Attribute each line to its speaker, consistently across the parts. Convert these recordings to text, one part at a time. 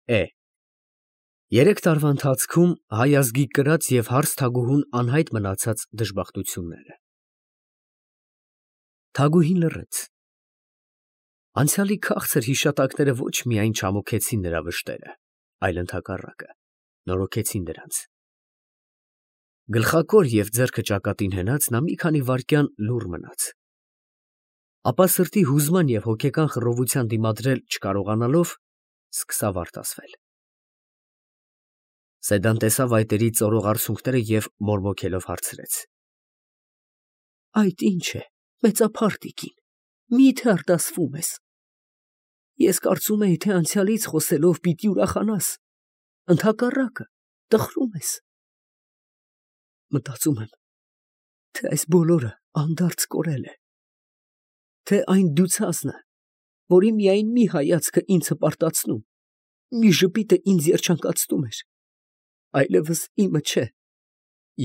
Speaker 1: Է. 3 տարվա ընթացքում հայ ազգի կրած և հարս թագուհուն անհայտ մնացած դժբախտությունները։ Թագուհին լռեց։ Անցյալի քաղցր հիշատակները ոչ միայն չամոքեցին նրա վշտերը, այլ ընդհակառակը, նորոգեցին դրանց։ Գլխակոր և ձեռքը ճակատին հենած նա մի քանի վայրկյան լուռ մնաց։ Ապա սրտի հուզման և հոգեկան խռովության դիմադրել չկարողանալով, սկսավ արտասվել։ Սեդան տեսավ այտերի ծորող արցունքները և մորմոքելով հարցրեց. Այդ ի՞նչ է, մեծափառ տիկին, մի՞թե արտասվում ես։ Ես կարծում էի, թե անցյալից խոսելով պիտի ուրախանաս, ընդհակառակը, տխրում ես։ Մտածում եմ, թե այս բոլորը անդարձ կորել է, թե այն դյուցազն է, որի միայն մի հայացքը ինձ հպարտացնում, մի ժպիտը ինձ երջանկացնում էր, այլևս իմը չէ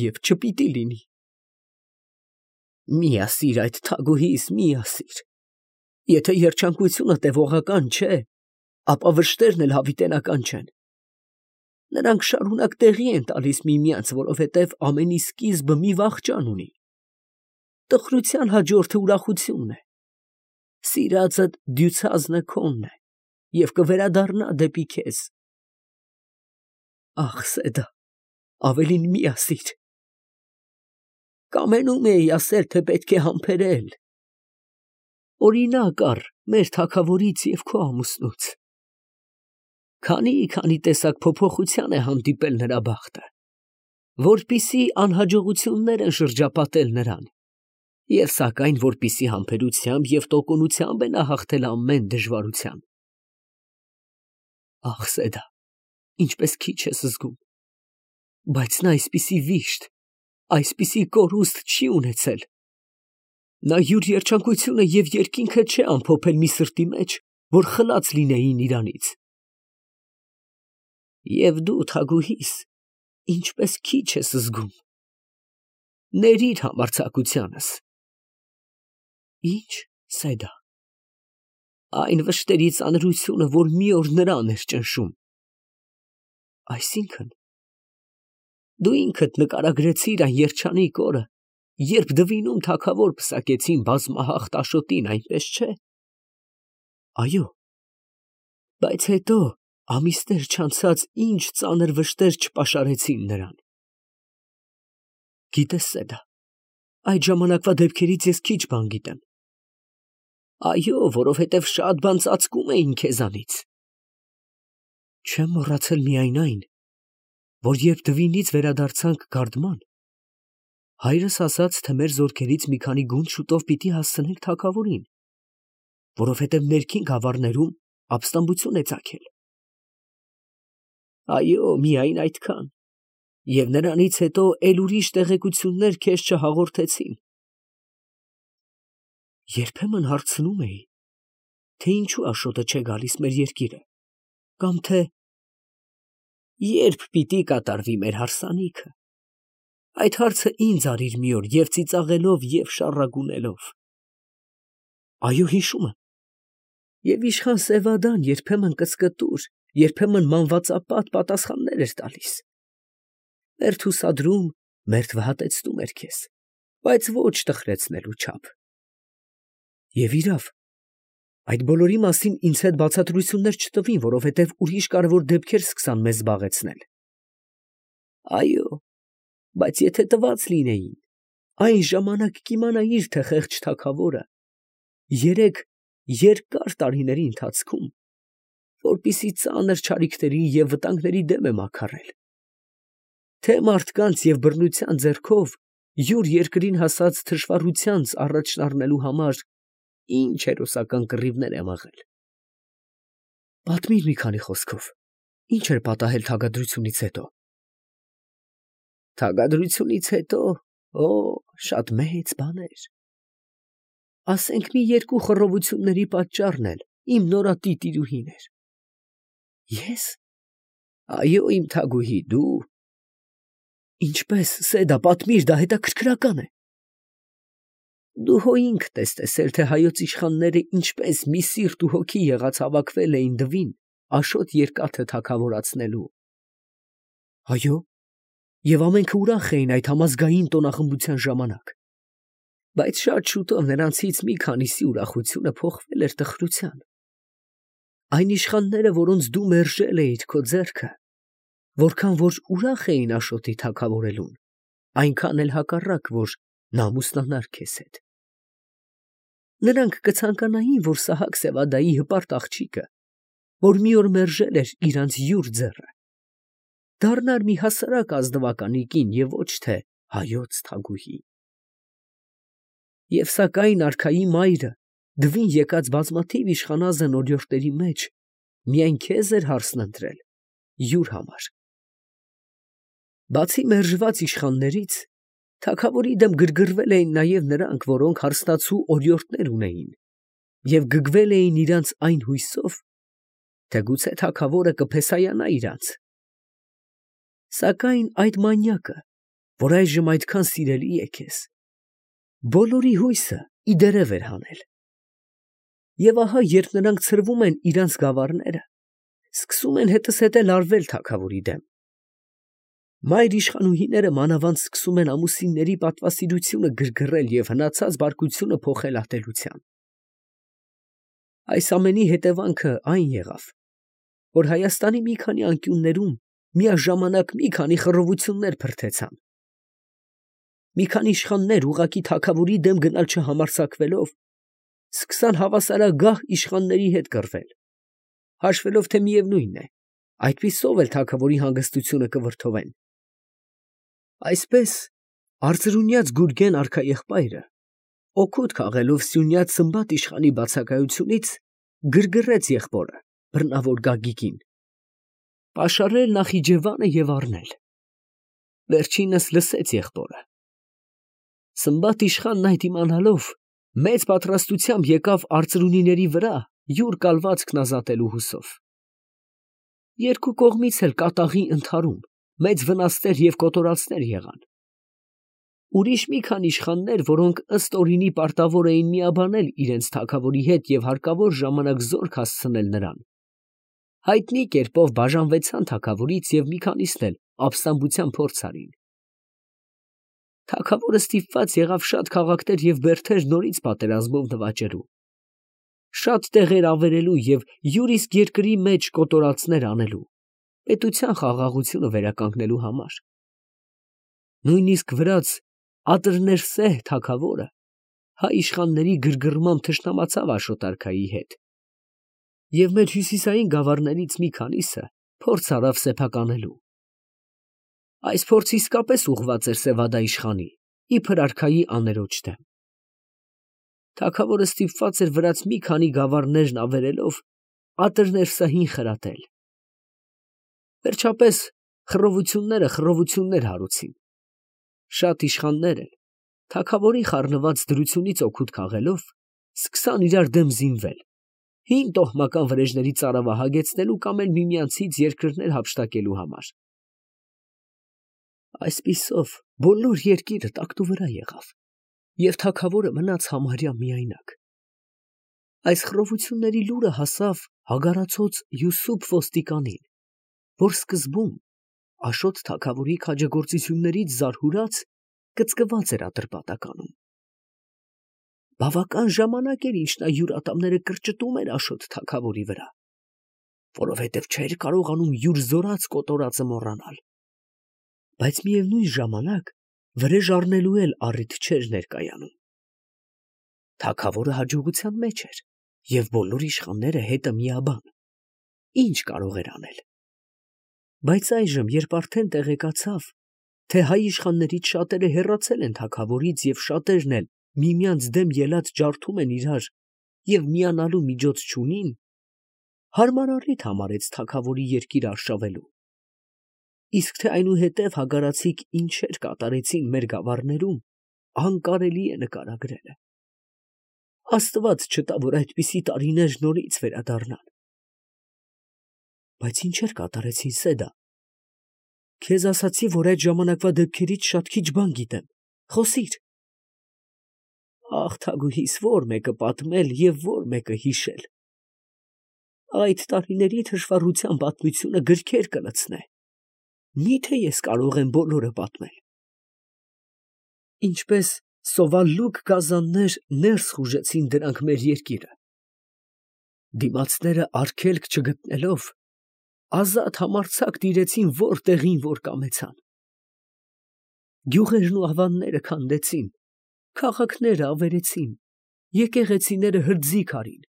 Speaker 1: և չպիտի լինի։ Մի ասիր այդ թագուհիս, մի ասիր։ Եթե երջանկությունը տևողական չէ, ապա վշտերն էլ հավիտենական չեն։ Նրանք շարունակ տեղի են տալիս միմյանց, որովհետև ամենի սկիզբը մի վախճան ունի։ Տխրության հաջորդը ուրախությունն է։ Սիրածդ դյուցազնը քոնն է և կվերադառնա դեպի քեզ։ Ախ, Սեդա, ավելին մի ասիր։ Կամենում էի ասել, թե պետք է համբերել։ Օրինակ առ մեր թագավորից և քո ամուսնուց։ Քանի տեսակ փոփոխության է հանդիպել նրա բախտը, որպիսի անհաջողություններ են շրջապատել նրան, և սակայն որպիսի համբերությամբ և տոկունությամբ է նա հաղթել ամեն դժվարության։ Ախ, Սեդա, ինչպես քիչ ես զգում, բայց նա այսպիսի վիշտ, այսպիսի կորուստ չի ունեցել։ Նա յուր երջանկությունը և երկինքը չէ ամփոփել մի սրտի մեջ, որ խլած լինեին իրանից։ Եվ դու, թագուհիս, ինչպես քիչ ես զգում։ Ներիր համարձակությանս։ Ի՞նչ, Սեդա։ Այն վշտերի ծանրությունը, որ մի օր նրան էր ճնշում։ Այսինքն, դու ինքդ նկարագրեցիր այն երջանիկ օրը, երբ դվինում թագավոր պսակեցին բազմահաղթ Աշոտին, այնպես չէ։ Այո, բայց հետո ամիսներ չանցած ինչ ծանր վշտեր չպաշարեցին նրան։ Գիտես, Սեդա, այդ ժամանակվա դեպքերից ես քիչ բան գիտեմ։ Այո, որովհետև շատ բան ծածկում էին քեզանից։ Չեմ մոռացել միայն այն, որ երբ դվինից վերադարձանք գարդման, հայրս ասաց, թե մեր զորքերից մի քանի գունդ շուտով պիտի հասցնենք թագավորին, որովհետև ներքին գավառներում ապստամբություն է ծագել։ Այո, միայն այդքան, և նրանից հետո էլ ուրիշ տեղեկություններ քեզ չհաղորդեցին։ Երբեմն հարցնում էի, թե ինչու Աշոտը չէ գալիս մեր երկիրը, կամ թե երբ պիտի կատարվի մեր հարսանիքը։ Այդ հարցը ինձ արիր մի օր և ծիծաղելով և շառագունելով։ Այո, հիշում եմ։ Եվ իշխան Սևադան երբեմն կծկտուր, երբեմն մանվածապատ պատասխաններ էր տալիս։ Մերթ հուսադրում, մերթ վհատեցնում էր քեզ, բայց ոչ տխրեցնելու չափ։ Եվ իրավ, այդ բոլորի մասին ինձ հետ բացատրություններ չտվին, որովհետև ուրիշ կարևոր դեպքեր սկսան մեզ զբաղեցնել։ Այո, բայց եթե տված լինեին, այն ժամանակ կիմանայիր, թե խեղճ թագավորը 3 երկար տարիների ընթացքում որպիսի ծանր չարիքների և վտանգների դեմ է մաքարել, թե մարդկանց և բռնության ձեռքով յուր երկրին հասած թշվառությանց առաջն առնելու համար ինչ հերոսական կռիվներ է մղել։ Պատմիր մի քանի խոսքով, ինչ էր պատահել թագադրությունից հետո։ Թագադրությունից հետո, շատ մեծ բաներ։ Ասենք մի 2 խռովությունների պատճառն էլ իմ նորատի տիրուհին էր։ Ես։ Այո, իմ թագուհի, դու։ Ինչպես, Սեդա, պատմիր, դա հետաքրքրական է։ Դու հո ինքդ ես տեսել, թե հայոց իշխանները ինչպես մի սիրտ ու հոգի եղած հավաքվել էին դվին Աշոտ երկաթը թագավորացնելու։ Այո, եւ ամենքը ուրախ էին այդ համազգային տոնախմբության ժամանակ։ Բայց շատ շուտով նրանցից մի քանիսի ուրախությունը փոխվել էր տխրության։ Այն իշխանները, որոնց դու մերժել էիր քո ձեռքը, որքան որ ուրախ էին Աշոտի թագավորելուն, այնքան էլ հակառակ, որ նամուսնանար քեզ հետ։ Նրանք կցանկանային, որ Սահակ Սևադայի հպարտ աղջիկը, որ մի օր մերժել էր իրանց յուր ձեռը, դառնար մի հասարակ ազնվականի կին և ոչ թե հայոց թագուհի։ Եվ սակայն արքայի մայրը դվին եկած բազմաթիվ իշխանազն օրիորդների մեջ միայն քեզ էր հարսն ընտրել յուր համար։ Բացի մերժված իշխաններից, թագավորի դեմ գրգռվել էին նաև նրանք, որոնք հարստացու օրիորդներ ունեին և գգվել էին իրանց այն հույսով, թե գուցե թագավորը կփեսայանա իրանց։ Սակայն այդ մանյակը, որ այժմ այդքան սիրելի է քեզ, բոլորի հույսը ի դերև էր հանել։ Եվ ահա, երբ նրանք ցրվում են իրանց գավառները, սկսում են հետզհետե լարվել թագավորի դեմ։ Մայր իշխանուհիները մանավանդ սկսում են ամուսինների պատվասիրությունը գրգռել և հնացած բարկությունը փոխել ատելության։ Այս ամենի հետևանքը այն եղավ, որ Հայաստանի մի քանի անկյուններում միաժամանակ մի քանի խռովություններ փրթեցան։ Մի քանի իշխաններ ուղղակի թագավորի դեմ գնալ չհամարձակվելով, սկսան հավասարագահ իշխանների հետ կռվել, հաշվելով, թե միևնույն է, այդպիսով էլ թագավորի հանգստությունը կվրդովեն։ Այսպես արծրունյաց Գուրգեն արքաեղբայրը, օգուտ քաղելով Սյունյաց Սմբատ իշխանի բացակայությունից, գրգռեց եղբորը, բռնավոր Գագիկին, պաշարել Նախիջևանը և առնել։ Վերջինս լսեց եղբորը։ Սմբատ իշխանն այդ իմանալով, մեծ պատրաստությամբ եկավ արծրունիների վրա յուր կալվածքն ազատելու հուսով։ Երկու կողմից էլ կատաղի ընդհարում, մեծ վնասներ և կոտորածներ եղան։ Ուրիշ մի քանի իշխաններ, որոնք ըստ օրինի պարտավոր էին միաբանել իրենց թագավորի հետ և հարկավոր ժամանակ զորք հասցնել նրան, հայտնի կերպով բաժանվեցան թագավորից և մի քանիսն էլ ապստամբության փորձ արին։ Թագավորը ստիպված եղավ շատ քաղաքներ և բերդեր նորից պատերազմով նվաճելու, շատ տեղեր ավերելու և յուր իսկ երկրի մեջ կոտորածներ անելու, պետության խաղաղությունը վերականգնելու համար։ Նույնիսկ վրաց Ատրներսեհ թագավորը հայ իշխանների գրգռմամբ թշնամացավ Աշոտ արքայի հետ, և մեր հյուսիսային գավառներից մի քանիսը փորձ արավ սեփականելու։ Այս փորձը իսկապես ուղղված էր Սևադա իշխանի, իբր արքայի աներոջ դեմ։ Թագավորը ստիպված էր վրաց մի քանի գավառներն ավերելով Ատրներսեհին խրատել։ Վերջապես խռովությունները խռովություններ հարուցին։ Շատ իշխաններ էլ, թագավորի խառնված դրությունից օգուտ քաղելով, սկսան իրար դեմ զինվել, հին տոհմական վրեժների ծարավը հագեցնելու կամ էլ միմյանցից երկրներ հափշտակելու համար։ Այսպիսով բոլոր երկիրը տակտուվրա եղավ, և թագավորը մնաց համարյա միայնակ։ Այս խռովությունների լուրը հասավ հագարացած Յուսուփ ոստիկանին, որ սկզբում Աշոտ թագավորի քաջագործություններից զարհուրած կծկված էր Ատրպատականում։ Բավական ժամանակ էր, ինչ նա յուր ատամները կրճտում էր Աշոտ թագավորի վրա, որովհետև չէր կարողանում յուր զորած կոտորածը մոռանալ։ Բայց միևնույն ժամանակ վրեժ առնելու էլ առիթ չէր ներկայանում։ Թագավորը հաջողության մեջ էր, և բոլոր իշխանները հետը միաբան։ Ինչ կարող էր անել։ Բայց այժմ, երբ արդեն տեղեկացավ, թե հայ իշխաններից շատերը հեռացել են թագավորից և շատերն էլ միմյանց դեմ ելած ջարդում են իրար և միանալու միջոց չունին, հարմար առիթ համարեց թագավորի երկիրը արշավելու։ Իսկ թե այնուհետև հագարացիք ինչեր կատարեցին մեր գավառներում, անկարելի է նկարագրելը։ Աստված չտա, որ այդպիսի տարիներ նորից վերադառնան։ Բայց ինչեր կատարեցին, Սեդա։ Քեզ ասացի, որ այդ ժամանակվա դեպքերից շատ քիչ բան գիտեմ, խոսիր։ Ախ, թագուհիս, որ մեկը պատմել և որ մեկը հիշել։ այդ տարիների թշվառության պատմությունը գրքեր կլցնե։ Միթե ես կարող եմ բոլորը պատմել։ Ինչպես սովալուկ գազաններ ներս խուժեցին դրանք մեր երկիրը։ Դիմացները արգելք չգտնելով, ազատ համարձակ տիրեցին որտեղին որ կամեցան։ Գյուղերն ու ավանները քանդեցին, քաղաքները ավերեցին, եկեղեցիները հրձիկ արին,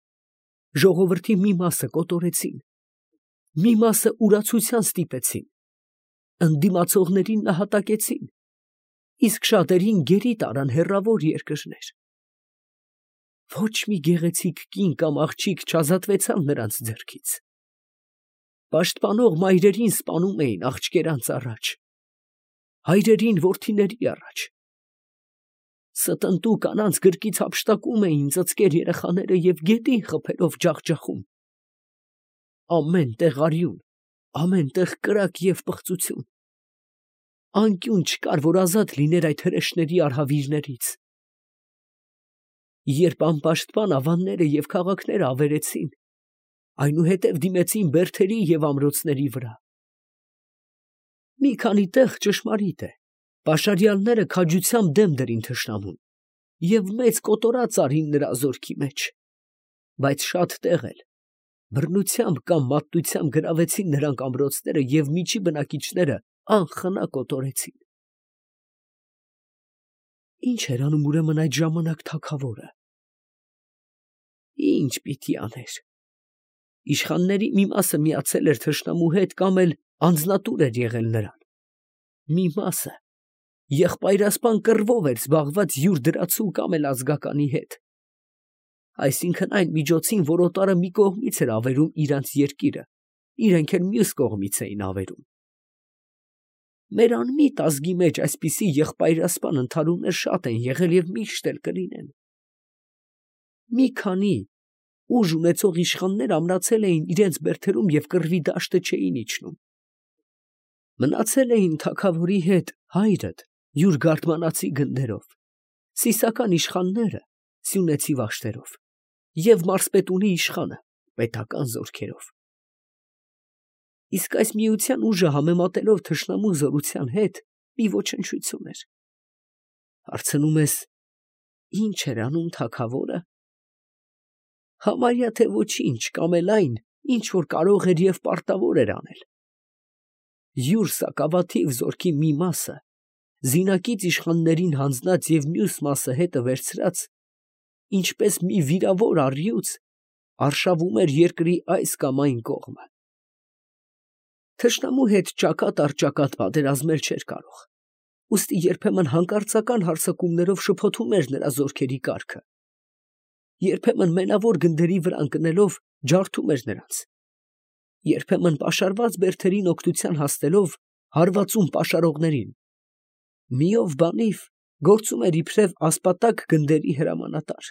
Speaker 1: ժողովրդի մի մասը կոտորեցին, մի մասը ուրացության ստիպեցին, ընդդիմացողներին նահատակեցին, իսկ շատերին գերի տարան հեռավոր երկրներ։ Ոչ մի գեղեցիկ կին կամ աղջիկ չազատվեցավ նրանց ձեռքից։ Պաշտպանող մայրերին սպանում էին աղջկերանց առաջ, հայրերին որդիների առաջ։ Ստնտու կանանց գրկից հափշտակում էին ծծկեր երեխաները և գետին խփելով ջախջախում։ Ամեն տեղ արյուն, ամեն տեղ կրակ և պղծություն։ Անկյուն չկար, որ ազատ լիներ այդ հրեշների արհավիրներից։ Երբ անպաշտպան ավանները և քաղաքները ավերեցին, այնուհետև դիմեցին բերդերի և ամրոցների վրա։ Մի քանի տեղ ճշմարիտ է, պաշարյալները քաջությամբ դեմ դրին թշնամուն և մեծ կոտորած արին նրա զորքի մեջ, բայց շատ տեղ էլ բռնությամբ կամ մատտությամբ գրավեցին նրանք ամրոցները և միջի բնակիչները անխնա կոտորեցին։ Ի՞նչ էր անում ուրեմն այդ ժամանակ թագավորը։ Ի՞նչ պիտի աներ։ Իշխանների մի մասը միացել էր թշնամու հետ կամ էլ անձնատուր էր եղել նրան։ Մի մասը եղբայրասպան կռվով էր զբաղված յուր դրացու կամ էլ ազգականի հետ, այսինքն այն միջոցին, որ օտարը մի կողմից էր ավերում իրանց երկիրը, իրենք էլ մյուս կողմից էին ավերում։ Մեր անմիտ ազգի մեջ այսպիսի եղբայրասպան ընդհարումներ շատ են եղել և միշտ էլ կլինեն։ Մի քանի ուժ ունեցող իշխաններ ամրացել էին իրենց բերդերում և կռվի դաշտը չէին իջնում։ Մնացել էին թագավորի հետ հայրդ յուր գարդմանացի գնդերով, սիսական իշխանները սյունեցի վաշտերով և մարզպետունի իշխանը պետական զորքերով։ Իսկ այս միության ուժը համեմատելով թշնամու զորության հետ մի ոչնչություն էր։ Հարցնում ես, ի՞նչ էր անում թագավորը։ Համարյա թե ոչինչ կամ էլ այն, ինչ որ կարող էր և պարտավոր էր անել։ Յուր սակավաթիվ զորքի մի մասը զինակից իշխաններին հանձնած և մյուս մասը հետը վերցրած, ինչպես մի վիրավոր առյուծ, արշավում էր երկրի այս կամ այն կողմը։ Թշնամու հետ ճակատ առ ճակատ պատերազմել չէր կարող, ուստի երբեմն հանկարծական հարձակումներով շփոթում էր նրա զորքերի կարգը, երբեմն մենավոր գնդերի վրա ընկնելով ջարդում էր նրանց, երբեմն պաշարված բերդերին օգնության հասնելով հարվածում պաշարողներին, միով բանիվ գործում էր իբրև ասպատակ գնդերի հրամանատար,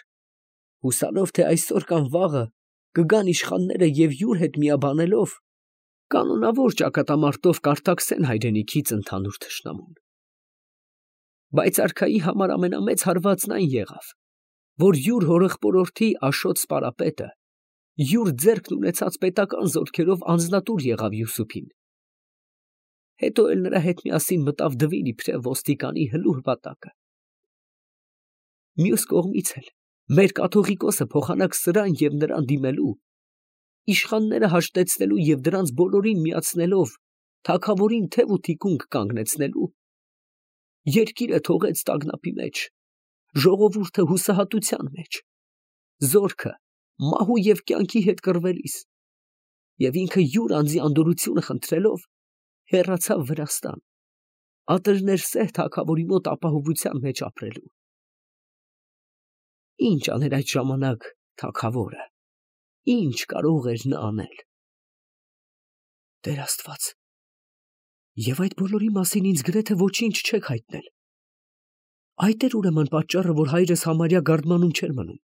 Speaker 1: հուսալով, թե այսօր կամ վաղը կգան իշխանները և յուր հետ միաբանելով կանոնավոր ճակատամարտով կարդաքսեն հայրենիքից ընդհանուր թշնամուն։ Բայց արքայի համար ամենամեծ հարվածն այն եղավ, որ յուր հորեղբորորդի Աշոտ սպարապետը յուր ձեռքն ունեցած պետական զորքերով անձնատուր եղավ Յուսուփին։ Հետո էլ նրա հետ միասին մտավ դվին իբրև ոստիկանի հլուր վատակը։ Մյուս կողմից էլ մեր կաթողիկոսը փոխանակ սրան և նրան դիմելու, իշխանները հաշտեցնելու և դրանց բոլորին միացնելով թագավորին թև ու թիկունք կանգնեցնելու, երկիրը թողեց տագնապի մեջ, ժողովուրդը հուսահատության մեջ, զորքը մահու և կյանքի հետ կռվելիս, և ինքը յուր անձի անդորրությունը խնդրելով հեռացավ Վրաստան, ատրներ սեր թագավորի մոտ ապահովության մեջ ապրելու։ Ի՞նչ աներ այդ ժամանակ թագավորը, ի՞նչ կարող էր նա անել։ Տեր Աստված, և այդ բոլորի մասին ինձ գրեթե ոչինչ չեք հայտնել։ Այդ էր ուրեմն պատճառը, որ հայրս համարյա գարդմանում չէր մնում։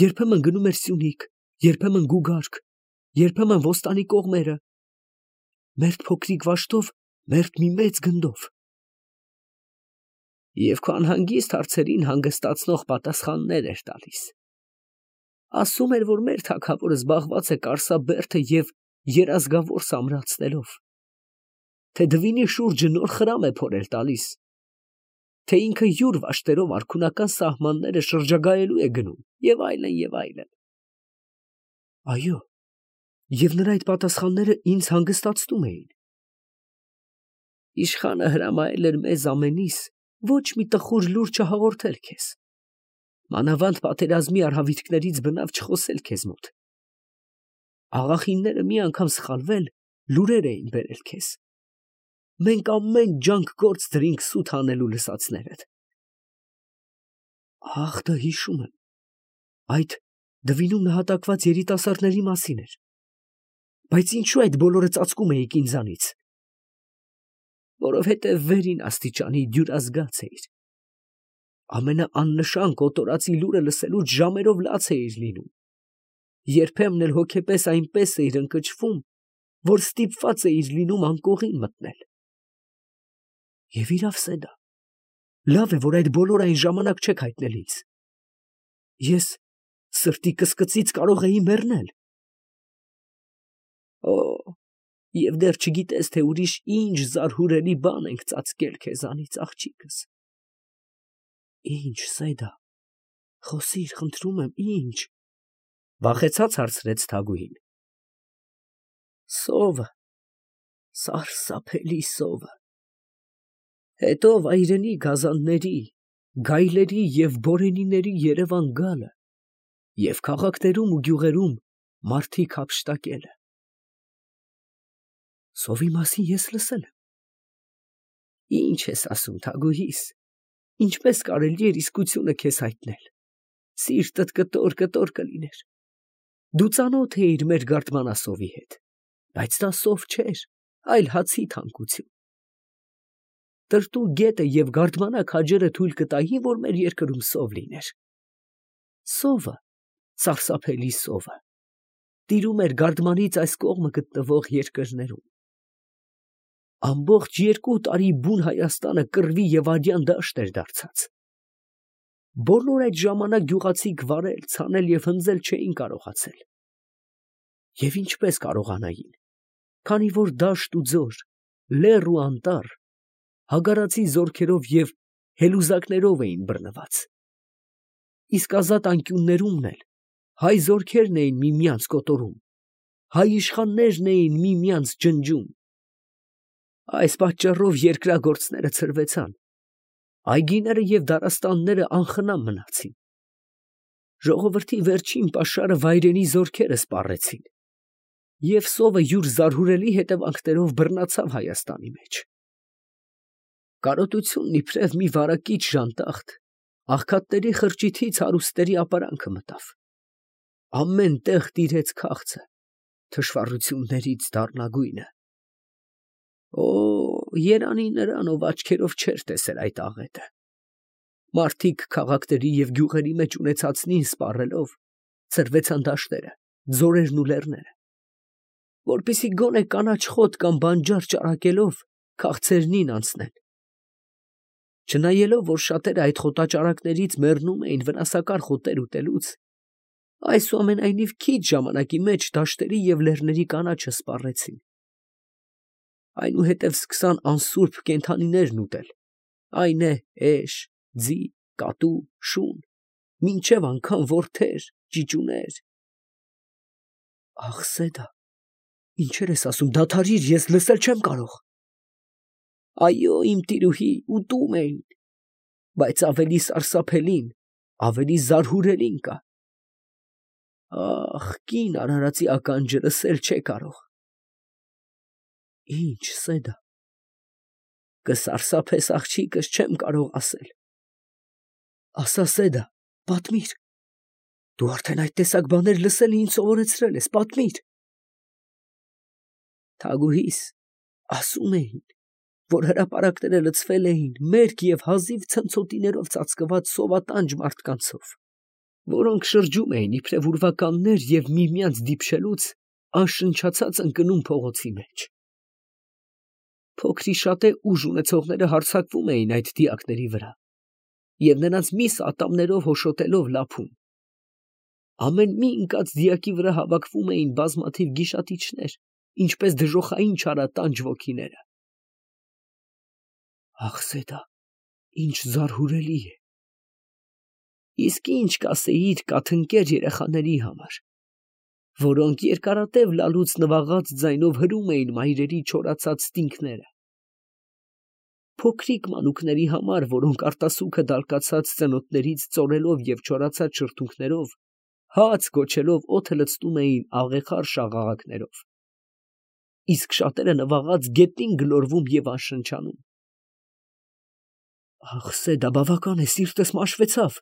Speaker 1: Երբեմն գնում էր Սյունիք, երբեմն Գուգարք, երբեմն Ոստանի կողմերը, մերթ փոքրիկ վաշտով, մերթ մի մեծ գնդով։ Եվ քո անհանգիստ հարցերին հանգստացնող պատասխաններ էր տալիս։ Ասում էր, որ մեր թագավորը զբաղված է Կարսաբերդը և երազգավոր սամրացնելով, թե դվինի շուրջը նոր խրամ է փորել տալիս, թե ինքը յուր վաշտերով արքունական սահմանները շրջագայելու է գնում, և այլն, և այլն։ Այո, և նրա այդ պատասխանները ինձ հանգստացնում էին։ Իշխանը հրամայել էր մեզ ամենիս ոչ մի տխուր լուր չհաղորդել քեզ, մանավանդ պատերազմի արհավիրքներից բնավ չխոսել քեզ մոտ։ Աղախինները մի անգամ սխալվել, լուրեր էին բերել քեզ։ Մենք ամեն ջանք գործ դրինք սուտ հանելու լսածներդ։ Ախ, դա հիշում եմ, այդ դվինում նահատակված երիտասարդների մասին էր։ Բայց ինչու այդ բոլորը ծածկում էիք ինձանից։ Որովհետև վերին աստիճանի դյուրազգաց էիր։ Ամենաաննշան կոտորածի լուրը լսելուց ժամերով լաց էիր լինում։ Երբեմն էլ հոգեպես այնպես էիր ընկճվում, որ ստիպված էիր լինում անկողին մտնել։ Եվ իրավ Սեդա, լավ է, որ այդ բոլոր այն ժամանակ չեք հայտնել ինձ։ Ես սրտի կսկծից կարող էի մեռնել։ Օ, և դեռ չգիտես, թե ուրիշ ինչ զարհուրելի բան ենք ծածկել քեզանից, աղջիկս։ Ինչ, Սեդա, խոսիր, խնդրում եմ, ինչ։ Վախեցած հարցրեց Թագուհին։ Սովը, սարսափելի սովը։ Հետո վայրենի գազանների, գայլերի և բորենիների երևան գալը և քաղաքներում ու գյուղերում մարդիկ հափշտակելը։ Սովի մասին ես լսել եմ։ Ինչ ես ասում, Թագուհիս, ինչպես կարելի էր իսկությունը քեզ հայտնել։ Սիրտդ կտոր կլիներ։ Դու ծանոթ էիր մեր գարդմանասովի հետ, բայց դա սով չէր, այլ հացի թանկություն։ Տրտու գետը և գարդմանա քաջերը թույլ կտային, որ մեր երկրում սով լիներ։ Սովը, սարսափելի սովը, տիրում էր գարդմանից այս կողմը գտնվող երկրներում։ Ամբողջ 2 տարի բուն Հայաստանը կռվի և արյան դաշտ էր դարձած։ Բոլոր այդ ժամանակ գյուղացիք վարել, ցանել և հնձել չէին կարողացել։ Եվ ինչպես կարողանային, քանի որ դաշտ ու ձոր, լեռ ու անտառ հագարացի զորքերով և հելուզակներով էին բռնված։ Իսկ ազատ անկյուններումն էլ հայ զորքերն էին միմյանց կոտորում, հայ իշխաններն էին միմյանց ջնջում։ Այս պատճառով երկրագործները ցրվեցան, այգիները և դարաստանները անխնամ մնացին։ Ժողովրդի վերջին պաշարը վայրենի զորքերը սպառեցին, և սովը յուր զարհուրելի հետևանքներով բռնացավ Հայաստանի մեջ։ Կարոտությունն իբրև մի վարակիչ ժանտախտ աղքատների խրճիթից հարուստների ապարանքը մտավ։ Ամեն տեղ տիրեց քաղցը, թշվառություններից դառնագույնը։ Օ, երանի նրան, ով աչքերով չէր տեսել այդ աղետը։ Մարդիկ քաղաքների և գյուղերի մեջ ունեցածնին սպառելով ցրվեցան դաշտերը, ձորերն ու լեռները, որպեսզի գոնե կանաչ խոտ կամ բանջար ճարակելով քաղցրերնին անցնեն։ Չնայելով, որ շատերը այդ խոտաճարակներից մեռնում էին վնասակար խոտեր ուտելուց, այսուամենայնիվ քիչ ժամանակի մեջ դաշտերի և լեռների կանաչը սպառեցին։ Այնուհետև սկսան անսուրբ կենդանիներն ուտել, այն է էշ, ձի, կատու, շուն, մինչև անգամ որդեր, ճիճուներ։ Ախ, Սեդա, ինչեր ես ասում, դադարիր, ես լսել չեմ կարող։ Այո, իմ տիրուհի, ուտում էին, բայց ավելի սարսափելին, ավելի զարհուրելին կա։ Ախ, կին արարածի ականջը լսել չէ կարող։ Ինչ, Սեդա, կսարսափես, աղջիկս, չեմ կարող ասել։ Ասա, Սեդա, պատմիր։ Դու արդեն այդ տեսակ բաներ լսել ինձ սովորեցրել ես, պատմիր։ Թագուհիս, ասում էին, որ հրապարակները լցվել էին մերկ և հազիվ ցնցոտիներով ծածկված սովատանջ մարդկանցով, որոնք շրջում էին իբրև ուրվականներ և միմյանց դիպչելուց անշնչացած ընկնում փողոցի մեջ։ Փոքրիշատե ուժ ունեցողները հարձակվում էին այդ դիակների վրա և նրանց միս ատամներով հոշոտելով լափում։ Ամեն մի ընկած դիակի վրա հավաքվում էին բազմաթիվ գիշատիչներ, ինչպես դժոխային չարատանջ ոգիները։ Ախսեդա, ինչ զարհուրելի է։ Իսկ ինչ կասեիր կաթնկեր երեխաների համար, որոնք երկարատև լալուց նվաղած ձայնով հրում էին մայրերի չորացած ստինքները, փոքրիկ մանուկների համար, որոնք արտասուքը դալկացած ծնոտներից ծորելով և չորացած շրթունքներով, հաց գոչելով օդը լցնում էին աղեղար շաղաղակներով, իսկ շատերը նվաղած գետնին գլորվում և անշնչանում։ Ախսեդա, բավական է, սիրտս մաշվեցավ։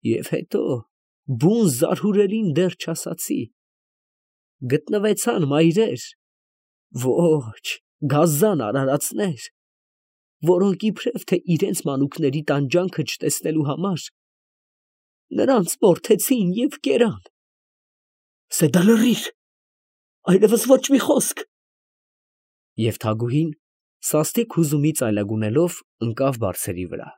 Speaker 1: Եվ հետո բուն զարհուրելին դեռ չասացի. գտնվեցան մայրեր, ոչ, գազան արարածներ, որոնք իբրև թե իրենց մանուկների տանջանքը չտեսնելու համար, նրանց մորթեցին և կերան։ Սեդա, լռիր, այլևս ոչ մի խոսք։ Եվ Թագուհին, սաստիկ հուզումից այլագունելով, ընկավ բարձերի վրա։